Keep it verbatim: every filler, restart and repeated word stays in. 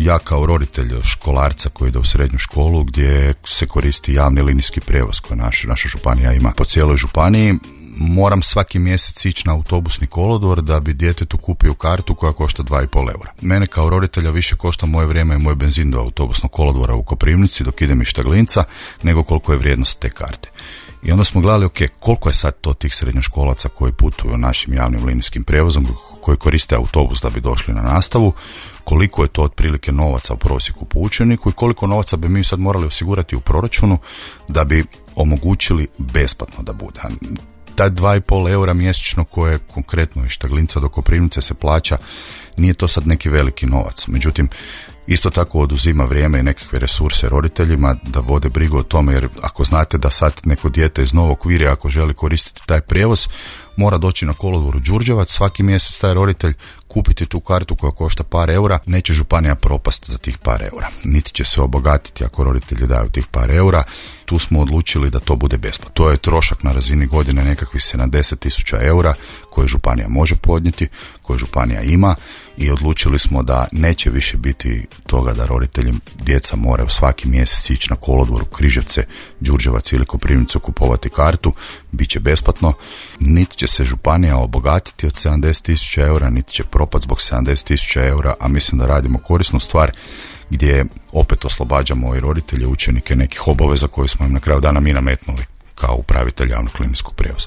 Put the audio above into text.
ja kao roditelj školarca koji ide u srednju školu gdje se koristi javni linijski prijevoz koji naš, naša županija ima po cijeloj županiji, moram svaki mjesec ići na autobusni kolodvor da bi djetetu kupio kartu koja košta dva i pol eura. Mene kao roditelja više košta moje vrijeme i moj benzin do autobusnog kolodvora u Koprivnici dok idem iz Štaglinca nego koliko je vrijednost te karte. I onda smo gledali, ok, koliko je sad to tih srednjoškolaca koji putuju našim javnim linijskim prijevozom, koji koriste autobus da bi došli na nastavu, koliko je to otprilike novaca u prosjeku po učeniku i koliko novaca bi mi sad morali osigurati u proračunu da bi omogućili besplatno da bude. Taj dva i pol eura mjesečno koje konkretno iz Štaglinca do Koprivnice se plaća, nije to sad neki veliki novac. Međutim, isto tako oduzima vrijeme i nekakve resurse roditeljima da vode brigu o tome, jer ako znate da sad neko dijete iz Novog Virja ako želi koristiti taj prijevoz, mora doći na kolodvor u Đurđevac, svaki mjesec taj roditelj kupiti tu kartu koja košta par eura, neće županija propast za tih par eura. Niti će se obogatiti ako roditelji daju tih par eura. Tu smo odlučili da to bude besplatno. To je trošak na razini godine nekakvih sedamdeset tisuća eura koje županija može podnijeti, koje županija ima i odlučili smo da neće više biti toga da roditelji djeca moraju svaki mjesec ići na kolodvor u Križevce, Đurđevac ili Koprivnicu kupovati kartu, bit će besplatno. Niti će se županija obogatiti od sedamdeset tisuća eura, niti će propast zbog sedamdeset tisuća eura, a mislim da radimo korisnu stvar gdje opet oslobađamo i roditelje, učenike nekih obaveza koje smo im na kraju dana mi nametnuli kao upravitelj javnog linijskog prijevoza.